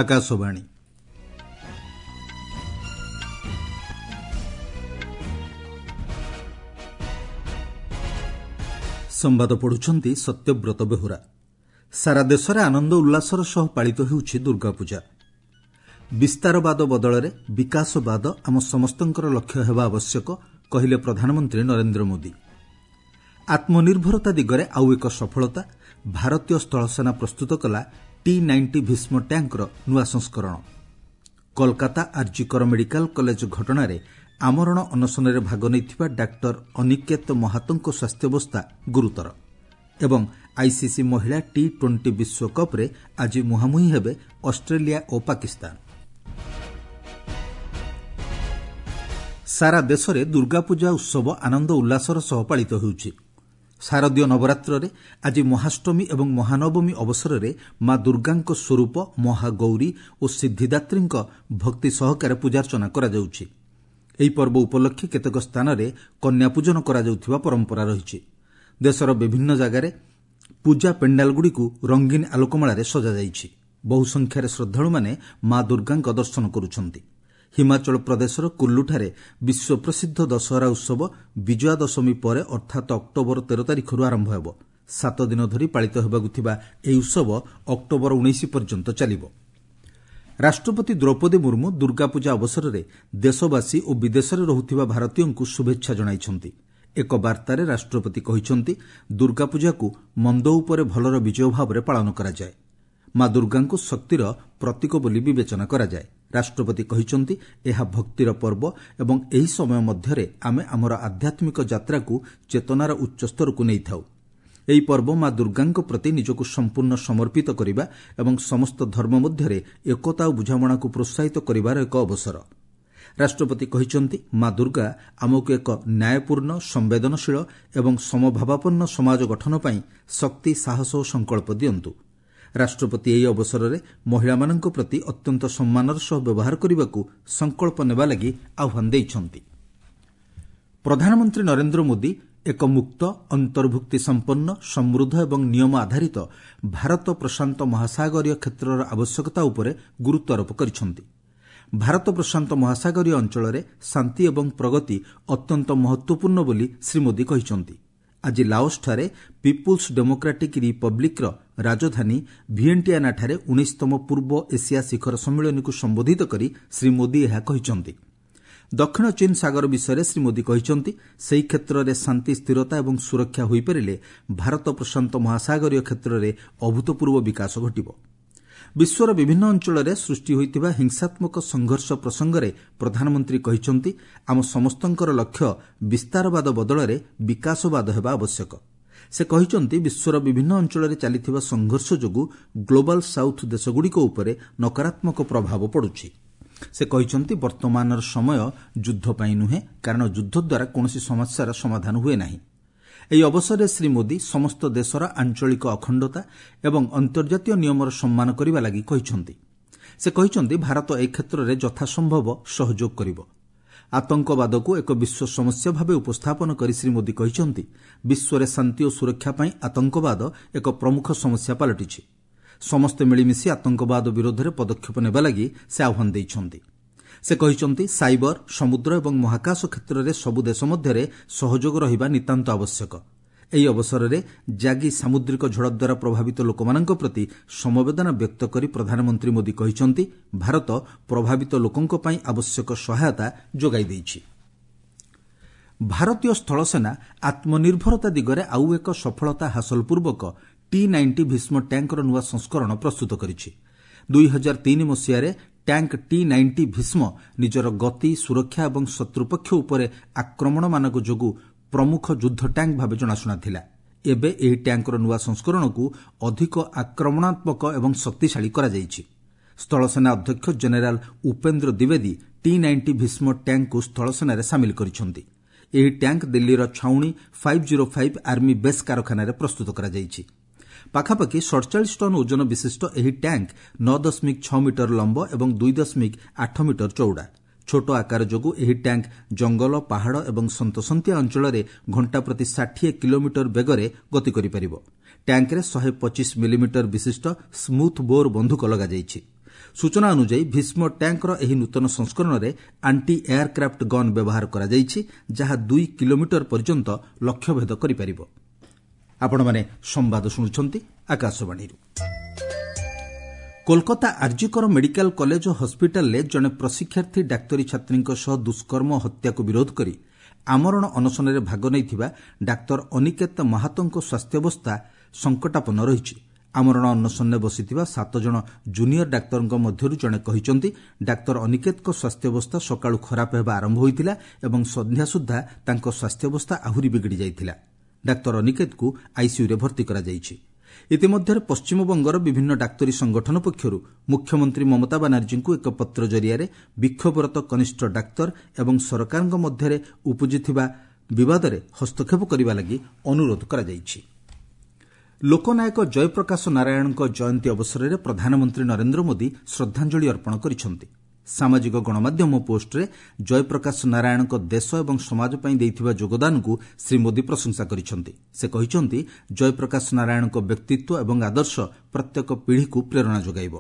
ଆକାଶବାଣୀ। ସମ୍ବାଦ ପଢୁଛନ୍ତି ସତ୍ୟବ୍ରତ ବେହୁରା। ସାରା ଦେଶରେ ଆନନ୍ଦ ଉଲ୍ଲାସର ସହ ପାଳିତ ହେଉଛି ଦୁର୍ଗାପୂଜା। ବିସ୍ତାରବାଦ ବଦଳରେ ବିକାଶବାଦ ଆମ ସମସ୍ତଙ୍କର ଲକ୍ଷ୍ୟ ହେବା ଆବଶ୍ୟକ, କହିଲେ ପ୍ରଧାନମନ୍ତ୍ରୀ ନରେନ୍ଦ୍ର ମୋଦି। ଆତ୍ମନିର୍ଭରତା ଦିଗରେ ଆଉ ଏକ ସଫଳତା, ଭାରତୀୟ ସ୍ଥଳସେନା ପ୍ରସ୍ତୁତ କଲା ଟି 90 ଭୀଷ୍ମ ଟ୍ୟାଙ୍କର ନୂଆ ସଂସ୍କରଣ। କୋଲକାତା ଆର୍ଜିକର ମେଡିକାଲ କଲେଜ ଘଟଣାରେ ଆମରଣ ଅନଶନରେ ଭାଗ ନେଇଥିବା ଡାକ୍ତର ଅନିକେତ ମହାତୋଙ୍କ ସ୍ୱାସ୍ଥ୍ୟାବସ୍ଥା ଗୁରୁତର। ଏବଂ ଆଇସିସି ମହିଳା ଟି 20 ବିଶ୍ୱକପ୍ରେ ଆଜି ମୁହାଁମୁହିଁ ହେବେ ଅଷ୍ଟ୍ରେଲିଆ ଓ ପାକିସ୍ତାନ। ସାରା ଦେଶରେ ଦୁର୍ଗାପୂଜା ଉତ୍ସବ ଆନନ୍ଦ ଉଲ୍ଲାସର ସହ ପାଳିତ ହେଉଛି। ଶାରଦୀୟ ନବରାତ୍ରରେ ଆଜି ମହାଷ୍ଟମୀ ଏବଂ ମହାନବମୀ ଅବସରରେ ମା ଦୁର୍ଗାଙ୍କ ସ୍ୱରୂପ ମହାଗୌରୀ ଓ ସିଦ୍ଧିଦାତ୍ରୀଙ୍କ ଭକ୍ତି ସହକାରେ ପୂଜାର୍ଚ୍ଚନା କରାଯାଉଛି। ଏହି ପର୍ବ ଉପଲକ୍ଷେ କେତେକ ସ୍ଥାନରେ କନ୍ୟାପୂଜନ କରାଯାଉଥିବା ପରମ୍ପରା ରହିଛି। ଦେଶର ବିଭିନ୍ନ ଜାଗାରେ ପୂଜା ପେଣ୍ଡାଲଗୁଡ଼ିକୁ ରଙ୍ଗୀନ ଆଲୋକମାଳାରେ ସଜାଯାଇଛି। ବହୁ ସଂଖ୍ୟାରେ ଶ୍ରଦ୍ଧାଳୁମାନେ ମା ଦୁର୍ଗାଙ୍କ ଦର୍ଶନ କରୁଛନ୍ତି। ହିମାଚଳ ପ୍ରଦେଶର କୁଲ୍ଲୁଠାରେ ବିଶ୍ୱପ୍ରସିଦ୍ଧ ଦଶହରା ଉତ୍ସବ ବିଜୟା ଦଶମୀ ପରେ ଅର୍ଥାତ୍ ଅକ୍ଟୋବର 13 ତାରିଖରୁ ଆରମ୍ଭ ହେବ। 7 ଦିନ ଧରି ପାଳିତ ହେବାକୁ ଥିବା ଏହି ଉତ୍ସବ ଅକ୍ଟୋବର 19 ପର୍ଯ୍ୟନ୍ତ ଚାଲିବ। ରାଷ୍ଟ୍ରପତି ଦ୍ରୌପଦୀ ମୁର୍ମୁ ଦୁର୍ଗାପୂଜା ଅବସରରେ ଦେଶବାସୀ ଓ ବିଦେଶରେ ରହୁଥିବା ଭାରତୀୟଙ୍କୁ ଶୁଭେଚ୍ଛା ଜଣାଇଛନ୍ତି। ଏକ ବାର୍ତ୍ତାରେ ରାଷ୍ଟ୍ରପତି କହିଛନ୍ତି, ଦୁର୍ଗାପୂଜାକୁ ମନ୍ଦ ଉପରେ ଭଲର ବିଜୟ ଭାବରେ ପାଳନ କରାଯାଏ। ମା ଦୁର୍ଗାଙ୍କୁ ଶକ୍ତିର ପ୍ରତୀକ ବୋଲି ବିବେଚନା କରାଯାଏ। ରାଷ୍ଟ୍ରପତି କହିଛନ୍ତି, ଏହା ଭକ୍ତିର ପର୍ବ ଏବଂ ଏହି ସମୟ ମଧ୍ୟରେ ଆମେ ଆମର ଆଧ୍ୟାତ୍ମିକ ଯାତ୍ରାକୁ ଚେତନାର ଉଚ୍ଚସ୍ତରକୁ ନେଇଥାଉ। ଏହି ପର୍ବ ମା ଦୁର୍ଗାଙ୍କ ପ୍ରତି ନିଜକୁ ସମ୍ପୂର୍ଣ୍ଣ ସମର୍ପିତ କରିବା ଏବଂ ସମସ୍ତ ଧର୍ମ ମଧ୍ୟରେ ଏକତା ଓ ବୁଝାମଣାକୁ ପ୍ରୋତ୍ସାହିତ କରିବାର ଏକ ଅବସର। ରାଷ୍ଟ୍ରପତି କହିଛନ୍ତି, ମା ଦୁର୍ଗା ଆମକୁ ଏକ ନ୍ୟାୟପୂର୍ଣ୍ଣ, ସମ୍ବେଦନଶୀଳ ଏବଂ ସମଭାବାପନ୍ନ ସମାଜ ଗଠନ ପାଇଁ ଶକ୍ତି, ସାହସ ଓ ସଂକଳ୍ପ ଦିଅନ୍ତୁ। ରାଷ୍ଟ୍ରପତି ଏହି ଅବସରରେ ମହିଳାମାନଙ୍କ ପ୍ରତି ଅତ୍ୟନ୍ତ ସମ୍ମାନର ସହ ବ୍ୟବହାର କରିବାକୁ ସଂକଳ୍ପ ନେବା ଲାଗି ଆହ୍ୱାନ ଦେଇଛନ୍ତି। ପ୍ରଧାନମନ୍ତ୍ରୀ ନରେନ୍ଦ୍ର ମୋଦି ଏକ ମୁକ୍ତ, ଅନ୍ତର୍ଭୁକ୍ତି ସମ୍ପନ୍ନ, ସମୃଦ୍ଧ ଏବଂ ନିୟମ ଆଧାରିତ ଭାରତ ପ୍ରଶାନ୍ତ ମହାସାଗରୀୟ କ୍ଷେତ୍ରର ଆବଶ୍ୟକତା ଉପରେ ଗୁରୁତ୍ୱାରୋପ କରିଛନ୍ତି। ଭାରତ ପ୍ରଶାନ୍ତ ମହାସାଗରୀୟ ଅଞ୍ଚଳରେ ଶାନ୍ତି ଏବଂ ପ୍ରଗତି ଅତ୍ୟନ୍ତ ମହତ୍ୱପୂର୍ଣ୍ଣ ବୋଲି ଶ୍ରୀ ମୋଦି କହିଛନ୍ତି। ଆଜି ଲାଓସଠାରେ ପିପୁଲ୍ସ ଡେମୋକ୍ରାଟିକ୍ ରିପବ୍ଲିକ୍ର ରାଜଧାନୀ ଭିଏଣ୍ଟିଆନାଠାରେ 19ତମ ପୂର୍ବ ଏସିଆ ଶିଖର ସମ୍ମିଳନୀକୁ ସମ୍ବୋଧିତ କରି ଶ୍ରୀ ମୋଦି ଏହା କହିଛନ୍ତି। ଦକ୍ଷିଣ ଚୀନ୍ ସାଗର ବିଷୟରେ ଶ୍ରୀ ମୋଦି କହିଛନ୍ତି, ସେହି କ୍ଷେତ୍ରରେ ଶାନ୍ତି, ସ୍ଥିରତା ଏବଂ ସୁରକ୍ଷା ହୋଇପାରିଲେ ଭାରତ ପ୍ରଶାନ୍ତ ମହାସାଗରୀୟ କ୍ଷେତ୍ରରେ ଅଭୂତପୂର୍ବ ବିକାଶ ଘଟିବ। ବିଶ୍ୱର ବିଭିନ୍ନ ଅଞ୍ଚଳରେ ସୃଷ୍ଟି ହୋଇଥିବା ହିଂସାତ୍ମକ ସଂଘର୍ଷ ପ୍ରସଙ୍ଗରେ ପ୍ରଧାନମନ୍ତ୍ରୀ କହିଛନ୍ତି, ଆମ ସମସ୍ତଙ୍କର ଲକ୍ଷ୍ୟ ବିସ୍ତାରବାଦ ବଦଳରେ ବିକାଶବାଦ ହେବା ଆବଶ୍ୟକ। ସେ କହିଛନ୍ତି, ବିଶ୍ୱର ବିଭିନ୍ନ ଅଞ୍ଚଳରେ ଚାଲିଥିବା ସଂଘର୍ଷ ଯୋଗୁଁ ଗ୍ଲୋବାଲ୍ ସାଉଥ୍ ଦେଶଗୁଡ଼ିକ ଉପରେ ନକାରାତ୍ମକ ପ୍ରଭାବ ପଡ଼ୁଛି। ସେ କହିଛନ୍ତି, ବର୍ତ୍ତମାନର ସମୟ ଯୁଦ୍ଧ ପାଇଁ ନୁହେଁ, କାରଣ ଯୁଦ୍ଧ ଦ୍ୱାରା କୌଣସି ସମସ୍ୟାର ସମାଧାନ ହୁଏ ନାହିଁ। ଏହି ଅବସରରେ ଶ୍ରୀ ମୋଦି ସମସ୍ତ ଦେଶର ଆଞ୍ଚଳିକ ଅଖଣ୍ଡତା ଏବଂ ଅନ୍ତର୍ଜାତୀୟ ନିୟମର ସମ୍ମାନ କରିବା ଲାଗି କହିଛନ୍ତି। ସେ କହିଛନ୍ତି, ଭାରତ ଏ କ୍ଷେତ୍ରରେ ଯଥାସମ୍ଭବ ସହଯୋଗ କରିବ। ଆତଙ୍କବାଦକୁ ଏକ ବିଶ୍ୱ ସମସ୍ୟା ଭାବେ ଉପସ୍ଥାପନ କରି ଶ୍ରୀ ମୋଦି କହିଛନ୍ତି, ବିଶ୍ୱରେ ଶାନ୍ତି ଓ ସୁରକ୍ଷା ପାଇଁ ଆତଙ୍କବାଦ ଏକ ପ୍ରମୁଖ ସମସ୍ୟା ପାଲଟିଛି। ସମସ୍ତେ ମିଳିମିଶି ଆତଙ୍କବାଦ ବିରୋଧରେ ପଦକ୍ଷେପ ନେବା ଲାଗି ସେ ଆହ୍ୱାନ ଦେଇଛନ୍ତି। ସେ କହିଛନ୍ତି, ସାଇବର, ସମୁଦ୍ର ଏବଂ ମହାକାଶ କ୍ଷେତ୍ରରେ ସବୁ ଦେଶ ମଧ୍ୟରେ ସହଯୋଗ ରହିବା ନିତାନ୍ତ ଆବଶ୍ୟକ। ଏହି ଅବସରରେ ଜାଗି ସାମୁଦ୍ରିକ ଝଡ଼ ଦ୍ୱାରା ପ୍ରଭାବିତ ଲୋକମାନଙ୍କ ପ୍ରତି ସମବେଦନା ବ୍ୟକ୍ତ କରି ପ୍ରଧାନମନ୍ତ୍ରୀ ମୋଦି କହିଛନ୍ତି, ଭାରତ ପ୍ରଭାବିତ ଲୋକଙ୍କ ପାଇଁ ଆବଶ୍ୟକ ସହାୟତା ଯୋଗାଇ ଦେଇଛି। ଭାରତୀୟ ସ୍ଥଳସେନା ଆତ୍ମନିର୍ଭରତା ଦିଗରେ ଆଉ ଏକ ସଫଳତା ହାସଲ ପୂର୍ବକ ଟି 90 ଭୀଷ୍ମ ଟ୍ୟାଙ୍କର ନୂଆ ସଂସ୍କରଣ ପ୍ରସ୍ତୁତ କରିଛି। 2003 ମସିହାରେ ଟ୍ୟାଙ୍କ ଟି 90 ଭୀଷ୍ମ ନିଜର ଗତି, ସୁରକ୍ଷା ଏବଂ ଶତ୍ରୁପକ୍ଷ ଉପରେ ଆକ୍ରମଣମାନଙ୍କ ଯୋଗୁଁ ପ୍ରମୁଖ ଯୁଦ୍ଧ ଟ୍ୟାଙ୍କ ଭାବେ ଜଣାଶୁଣା ଥିଲା। ଏବେ ଏହି ଟ୍ୟାଙ୍କର ନୂଆ ସଂସ୍କରଣକୁ ଅଧିକ ଆକ୍ରମଣାତ୍ମକ ଏବଂ ଶକ୍ତିଶାଳୀ କରାଯାଇଛି। ସ୍ଥଳସେନା ଅଧ୍ୟକ୍ଷ ଜେନେରାଲ ଉପେନ୍ଦ୍ର ଦ୍ୱିବେଦୀ ଟି 90 ଭୀଷ୍ମ ଟ୍ୟାଙ୍କକୁ ସ୍ଥଳସେନାରେ ସାମିଲ କରିଛନ୍ତି। ଏହି ଟ୍ୟାଙ୍କ ଦିଲ୍ଲୀର ଛାଉଣି 505 ଆର୍ମି ବେସ୍ କାରଖାନାରେ ପ୍ରସ୍ତୁତ କରାଯାଇଛି। ପାଖାପାଖି 47 ଟନ୍ ଓଜନ ବିଶିଷ୍ଟ ଏହି ଟ୍ୟାଙ୍କ 9.6 ମିଟର ଲମ୍ବ ଏବଂ 2.8 ମିଟର ଚଉଡ଼ା। ଛୋଟ ଆକାର ଯୋଗୁଁ ଏହି ଟ୍ୟାଙ୍କ ଜଙ୍ଗଲ, ପାହାଡ଼ ଏବଂ ସନ୍ତସନ୍ତିଆ ଅଞ୍ଚଳରେ ଘଣ୍ଟା ପ୍ରତି 60 କିଲୋମିଟର ବେଗରେ ଗତି କରିପାରିବ। ଟ୍ୟାଙ୍କରେ 125 ମିଲିମିଟର ବିଶିଷ୍ଟ ସ୍ମୁଥ୍ ବୋର୍ ବନ୍ଧୁକ ଲଗାଯାଇଛି। ସୂଚନା ଅନୁଯାୟୀ, ଭୀଷ୍ମ ଟ୍ୟାଙ୍କର ଏହି ନୂତନ ସଂସ୍କରଣରେ ଆଣ୍ଟି ଏୟାରକ୍ରାଫ୍ଟ ଗନ୍ ବ୍ୟବହାର କରାଯାଇଛି, ଯାହା 2 କିଲୋମିଟର ପର୍ଯ୍ୟନ୍ତ ଲକ୍ଷ୍ୟଭେଦ କରିପାରିବ। ଆପଣମାନେ ସମ୍ବାଦ ଶୁଣୁଛନ୍ତି ଆକାଶବାଣୀରୁ। କୋଲକାତା ଆର୍ଜିକର ମେଡିକାଲ କଲେଜ ଓ ହସ୍ପିଟାଲରେ ଜଣେ ପ୍ରଶିକ୍ଷାର୍ଥୀ ଡାକ୍ତରୀ ଛାତ୍ରୀଙ୍କ ସହ ଦୁଷ୍କର୍ମ ଓ ହତ୍ୟାକୁ ବିରୋଧ କରି ଆମରଣ ଅନଶନରେ ଭାଗ ନେଇଥିବା ଡାକ୍ତର ଅନିକେତ ମହାତୋଙ୍କ ସ୍ୱାସ୍ଥ୍ୟାବସ୍ଥା ସଙ୍କଟାପନ୍ନ ରହିଛି। ଆମରଣ ଅନଶନରେ ବସିଥିବା 7 ଜଣ ଜୁନିୟର ଡାକ୍ତରଙ୍କ ମଧ୍ୟରୁ ଜଣେ କହିଛନ୍ତି, ଡାକ୍ତର ଅନିକେତଙ୍କ ସ୍ୱାସ୍ଥ୍ୟାବସ୍ଥା ସକାଳୁ ଖରାପ ହେବା ଆରମ୍ଭ ହୋଇଥିଲା ଏବଂ ସନ୍ଧ୍ୟା ସୁଦ୍ଧା ତାଙ୍କ ସ୍ୱାସ୍ଥ୍ୟାବସ୍ଥା ଆହୁରି ବିଗିଡ଼ି ଯାଇଥିଲା। ଡାକ୍ତର ଅନିକେତଙ୍କୁ ଆଇସିୟୁରେ ଭର୍ତ୍ତି କରାଯାଇଛି। ଇତିମଧ୍ୟରେ ପଶ୍ଚିମବଙ୍ଗର ବିଭିନ୍ନ ଡାକ୍ତରୀ ସଂଗଠନ ପକ୍ଷରୁ ମୁଖ୍ୟମନ୍ତ୍ରୀ ମମତା ବାନାର୍ଜୀଙ୍କୁ ଏକ ପତ୍ର ଜରିଆରେ ବିକ୍ଷୋଭରତ କନିଷ୍ଠ ଡାକ୍ତର ଏବଂ ସରକାରଙ୍କ ମଧ୍ୟରେ ଉପୁଜିଥିବା ବିବାଦରେ ହସ୍ତକ୍ଷେପ କରିବା ଲାଗି ଅନୁରୋଧ କରାଯାଇଛି। ଲୋକନାୟକ ଜୟପ୍ରକାଶ ନାରାୟଣଙ୍କ ଜୟନ୍ତୀ ଅବସରରେ ପ୍ରଧାନମନ୍ତ୍ରୀ ନରେନ୍ଦ୍ର ମୋଦି ଶ୍ରଦ୍ଧାଞ୍ଜଳି ଅର୍ପଣ କରିଛନ୍ତି। ସାମାଜିକ ଗଣମାଧ୍ୟମ ପୋଷ୍ଟରେ ଜୟପ୍ରକାଶ ନାରାୟଣଙ୍କ ଦେଶ ଏବଂ ସମାଜ ପାଇଁ ଦେଇଥିବା ଯୋଗଦାନକୁ ଶ୍ରୀ ମୋଦି ପ୍ରଶଂସା କରିଛନ୍ତି। ସେ କହିଛନ୍ତି, ଜୟପ୍ରକାଶ ନାରାୟଣଙ୍କ ବ୍ୟକ୍ତିତ୍ୱ ଏବଂ ଆଦର୍ଶ ପ୍ରତ୍ୟେକ ପିଢ଼ିକୁ ପ୍ରେରଣା ଯୋଗାଇବ।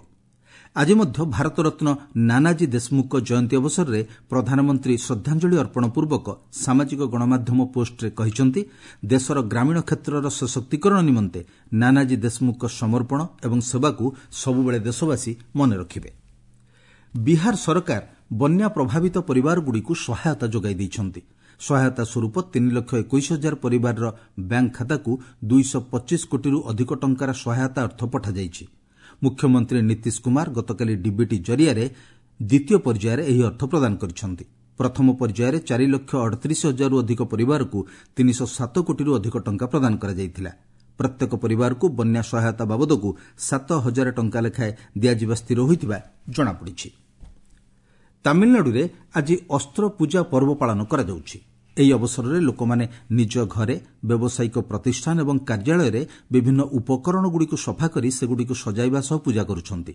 ଆଜି ମଧ୍ୟ ଭାରତରତ୍ନ ନାନାଜୀ ଦେଶମୁଖଙ୍କ ଜୟନ୍ତୀ ଅବସରରେ ପ୍ରଧାନମନ୍ତ୍ରୀ ଶ୍ରଦ୍ଧାଞ୍ଜଳି ଅର୍ପଣ ପୂର୍ବକ ସାମାଜିକ ଗଣମାଧ୍ୟମ ପୋଷ୍ଟରେ କହିଛନ୍ତି, ଦେଶର ଗ୍ରାମୀଣ କ୍ଷେତ୍ରର ସଶକ୍ତିକରଣ ନିମନ୍ତେ ନାନାଜୀ ଦେଶମୁଖଙ୍କ ସମର୍ପଣ ଏବଂ ସେବାକୁ ସବୁବେଳେ ଦେଶବାସୀ ମନେ ରଖିବେ। ବିହାର ସରକାର ବନ୍ୟା ପ୍ରଭାବିତ ପରିବାରଗୁଡ଼ିକୁ ସହାୟତା ଯୋଗାଇ ଦେଇଛନ୍ତି। ସହାୟତା ସ୍ୱରୂପ 3,21,000 ପରିବାରର ବ୍ୟାଙ୍କ ଖାତାକୁ 225 କୋଟିରୁ ଅଧିକ ଟଙ୍କାର ସହାୟତା ଅର୍ଥ ପଠାଯାଇଛି। ମୁଖ୍ୟମନ୍ତ୍ରୀ ନୀତିଶ କୁମାର ଗତକାଲି ଡିବିଟି ଜରିଆରେ ଦ୍ୱିତୀୟ ପର୍ଯ୍ୟାୟରେ ଏହି ଅର୍ଥ ପ୍ରଦାନ କରିଛନ୍ତି। ପ୍ରଥମ ପର୍ଯ୍ୟାୟରେ 4,38,000ରୁ ଅଧିକ ପରିବାରକୁ 307 କୋଟିରୁ ଅଧିକ ଟଙ୍କା ପ୍ରଦାନ କରାଯାଇଥିଲା। ପ୍ରତ୍ୟେକ ପରିବାରକୁ ବନ୍ୟା ସହାୟତା ବାବଦକୁ 7,000 ଟଙ୍କା ଲେଖାଏଁ ଦିଆଯିବା ସ୍ଥିର ହୋଇଥିବା ଜଣାପଡ଼ିଛି। ତାମିଲନାଡୁରେ ଆଜି ଅସ୍ତ୍ର ପୂଜା ପର୍ବ ପାଳନ କରାଯାଉଛି। ଏହି ଅବସରରେ ଲୋକମାନେ ନିଜ ଘରେ, ବ୍ୟବସାୟିକ ପ୍ରତିଷ୍ଠାନ ଏବଂ କାର୍ଯ୍ୟାଳୟରେ ବିଭିନ୍ନ ଉପକରଣଗୁଡ଼ିକୁ ସଫା କରି ସେଗୁଡ଼ିକୁ ସଜାଇବା ସହ ପୂଜା କରୁଛନ୍ତି।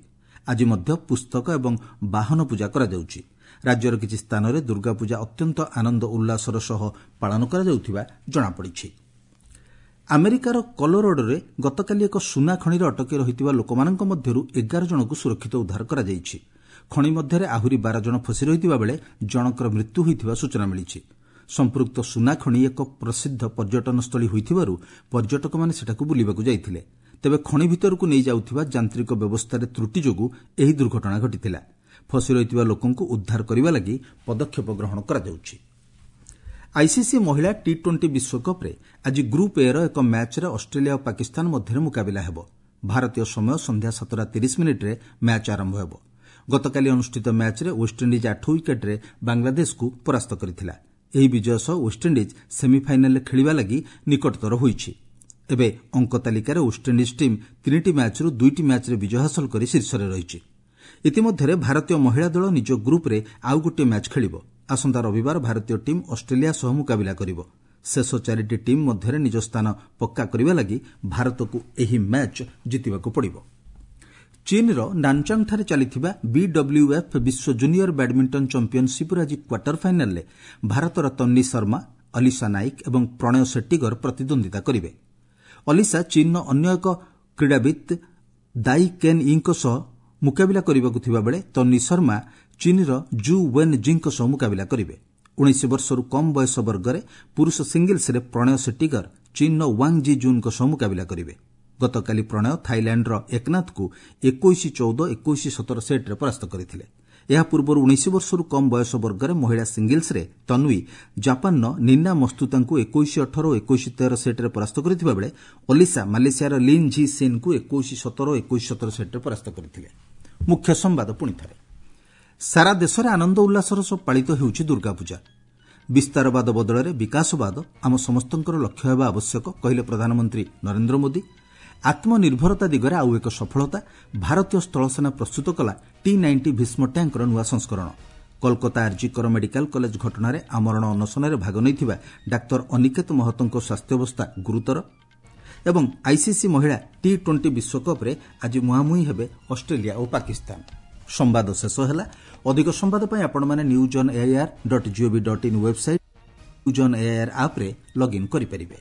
ଆଜି ମଧ୍ୟ ପୁସ୍ତକ ଏବଂ ବାହନ ପୂଜା କରାଯାଉଛି। ରାଜ୍ୟର କିଛି ସ୍ଥାନରେ ଦୁର୍ଗାପୂଜା ଅତ୍ୟନ୍ତ ଆନନ୍ଦ ଉଲ୍ଲାସର ସହ ପାଳନ କରାଯାଉଥିବା ଜଣାପଡ଼ିଛି। ଆମେରିକାର କଲୋରାଡୋରେ ଗତକାଲି ଏକ ସୁନା ଖଣିରେ ଅଟକି ରହିଥିବା ଲୋକମାନଙ୍କ ମଧ୍ୟରୁ 11 ଜଣଙ୍କୁ ସୁରକ୍ଷିତ ଉଦ୍ଧାର କରାଯାଇଛି। ଖଣି ମଧ୍ୟରେ ଆହୁରି 12 ଜଣ ଫସି ରହିଥିବା ବେଳେ ଜଣଙ୍କର ମୃତ୍ୟୁ ହୋଇଥିବା ସୂଚନା ମିଳିଛି। ସମ୍ପୃକ୍ତ ସୁନା ଖଣି ଏକ ପ୍ରସିଦ୍ଧ ପର୍ଯ୍ୟଟନସ୍ଥଳୀ ହୋଇଥିବାରୁ ପର୍ଯ୍ୟଟକମାନେ ସେଠାକୁ ବୁଲିବାକୁ ଯାଇଥିଲେ। ତେବେ ଖଣି ଭିତରକୁ ନେଇଯାଉଥିବା ଯାନ୍ତ୍ରିକ ବ୍ୟବସ୍ଥାରେ ତ୍ରୁଟି ଯୋଗୁଁ ଏହି ଦୁର୍ଘଟଣା ଘଟିଥିଲା। ଫସି ରହିଥିବା ଲୋକଙ୍କୁ ଉଦ୍ଧାର କରିବା ଲାଗି ପଦକ୍ଷେପ ଗ୍ରହଣ କରାଯାଉଛି। ଆଇସିସି ମହିଳା ଟି ଟ୍ୱେଣ୍ଟି ବିଶ୍ୱକପ୍ରେ ଆଜି ଗ୍ରୁପ୍ ଏର ଏକ ମ୍ୟାଚ୍ରେ ଅଷ୍ଟ୍ରେଲିଆ ଓ ପାକିସ୍ତାନ ମଧ୍ୟରେ ମୁକାବିଲା ହେବ। ଭାରତୀୟ ସମୟ ସନ୍ଧ୍ୟା 7:30ରେ ମ୍ୟାଚ୍ ଆରମ୍ଭ ହେବ। ଗତକାଲି ଅନୁଷ୍ଠିତ ମ୍ୟାଚ୍ରେ ୱେଷ୍ଟଇଣ୍ଡିଜ୍ 8 ୱିକେଟ୍ରେ ବାଂଲାଦେଶକୁ ପରାସ୍ତ କରିଥିଲା। ଏହି ବିଜୟ ସହ ୱେଷ୍ଟଇଣ୍ଡିଜ୍ ସେମିଫାଇନାଲରେ ଖେଳିବା ଲାଗି ନିକଟତର ହୋଇଛି। ଏବେ ଅଙ୍କ ତାଲିକାରେ ୱେଷ୍ଟଇଣ୍ଡିଜ୍ ଟିମ୍ 3ଟି ମ୍ୟାଚ୍ରୁ 2ଟି ମ୍ୟାଚ୍ରେ ବିଜୟ ହାସଲ କରି ଶୀର୍ଷରେ ରହିଛି। ଇତିମଧ୍ୟରେ ଭାରତୀୟ ମହିଳା ଦଳ ନିଜ ଗ୍ରୁପ୍ରେ ଆଉ ଗୋଟିଏ ମ୍ୟାଚ୍ ଖେଳିବ। ଆସନ୍ତା ରବିବାର ଭାରତୀୟ ଟିମ୍ ଅଷ୍ଟ୍ରେଲିଆ ସହ ମୁକାବିଲା କରିବ। ଶେଷ 4ଟି ଟିମ୍ ମଧ୍ୟରେ ନିଜ ସ୍ଥାନ ପକ୍କା କରିବା ଲାଗି ଭାରତକୁ ଏହି ମ୍ୟାଚ୍ ଜିତିବାକୁ ପଡ଼ିବ। ଚୀନ୍ର ନାନଚାଙ୍ଗଠାରେ ଚାଲିଥିବା ବିଡବ୍ଲ୍ୟୁଏଫ୍ ବିଶ୍ୱ ଜୁନିୟର ବ୍ୟାଡ୍ମିଣ୍ଟନ ଚାମ୍ପିୟନସିପ୍ର ଆଜି କ୍ୱାର୍ଟର ଫାଇନାଲ୍ରେ ଭାରତର ତନ୍ନି ଶର୍ମା, ଅଲିସା ନାଇକ ଏବଂ ପ୍ରଣୟ ସେଟ୍ଟିଗର ପ୍ରତିଦ୍ୱନ୍ଦିତା କରିବେ। ଅଲିସା ଚୀନ୍ର ଅନ୍ୟ ଏକ କ୍ରୀଡ଼ାବିତ୍ ଦାଇ କେନ୍ ୟିଙ୍କ ସହ ମୁକାବିଲା କରିବାକୁ ଥିବାବେଳେ ତନ୍ନି ଶର୍ମା ଚୀନ୍ର ଜୁ ୱେନ୍ ଜିଙ୍କ ସହ ମୁକାବିଲା କରିବେ। 19 ବର୍ଷରୁ କମ୍ ବୟସ ବର୍ଗରେ ପୁରୁଷ ସିଙ୍ଗଲ୍ସରେ ପ୍ରଣୟ ସେଟ୍ଟିଗର ଚୀନ୍ର ୱାଙ୍ଗ୍ ଜି ଜୁନ୍ଙ୍କ ସହ ମୁକାବିଲା କରିବେ। ଗତକାଲି ପ୍ରଣୟ ଥାଇଲ୍ୟାଣ୍ଡର ଏକନାଥଙ୍କୁ 21-14, 21-17 ସେଟ୍ରେ ପରାସ୍ତ କରିଥିଲେ। ଏହା ପୂର୍ବରୁ 19 ବର୍ଷରୁ କମ୍ ବୟସ ବର୍ଗରେ ମହିଳା ସିଙ୍ଗଲ୍ସରେ ତନ୍ୱୀ ଜାପାନର ନିନା ମସ୍ତୁତାଙ୍କୁ 21-18 ଓ 21-13 ସେଟ୍ରେ ପରାସ୍ତ କରିଥିବା ବେଳେ ଅଲିସା ମାଲେସିଆର ଲିନ୍ ଝି ସିନ୍ଙ୍କୁ 21-17 ଓ 21-17 ସେଟ୍ରେ ପରାସ୍ତ କରିଥିଲେ। ମୁଖ୍ୟ ସମ୍ବାଦ ପୁଣିଥରେ, ସାରା ଦେଶରେ ଆନନ୍ଦ ଉଲ୍ଲାସର ସହ ପାଳିତ ହେଉଛି ଦୁର୍ଗାପୂଜା। ବିସ୍ତାରବାଦ ବଦଳରେ ବିକାଶବାଦ ଆମ ସମସ୍ତଙ୍କର ଲକ୍ଷ୍ୟ ହେବା ଆବଶ୍ୟକ, କହିଲେ ପ୍ରଧାନମନ୍ତ୍ରୀ ନରେନ୍ଦ୍ର ମୋଦି। ଆତ୍ମନିର୍ଭରତା ଦିଗରେ ଆଉ ଏକ ସଫଳତା, ଭାରତୀୟ ସ୍ଥଳସେନା ପ୍ରସ୍ତୁତ କଲା ଟି-90 ଭୀଷ୍ମ ଟ୍ୟାଙ୍କର ନୂଆ ସଂସ୍କରଣ। କୋଲକାତା ଆର୍ଜିକର ମେଡିକାଲ କଲେଜ ଘଟଣାରେ ଆମରଣ ଅନଶନରେ ଭାଗ ନେଇଥିବା ଡାକ୍ତର ଅନିକେତ ମହତୋଙ୍କ ସ୍ୱାସ୍ଥ୍ୟାବସ୍ଥା ଗୁରୁତର। ଏବଂ ଆଇସିସି ମହିଳା ଟି-ଟ୍ୱେଣ୍ଟି ବିଶ୍ୱକପ୍ରେ ଆଜି ମୁହାଁମୁହିଁ ହେବେ ଅଷ୍ଟ୍ରେଲିଆ ଓ ପାକିସ୍ତାନ। ସମ୍ବାଦ ଶେଷ ହେଲା। ଅଧିକ ସମ୍ବାଦ ପାଇଁ ଆପଣମାନେ news on AIR dot gov dot in website, news on AIR ଆପ୍ରେ ଲଗ୍ଇନ୍ କରିପାରିବେ।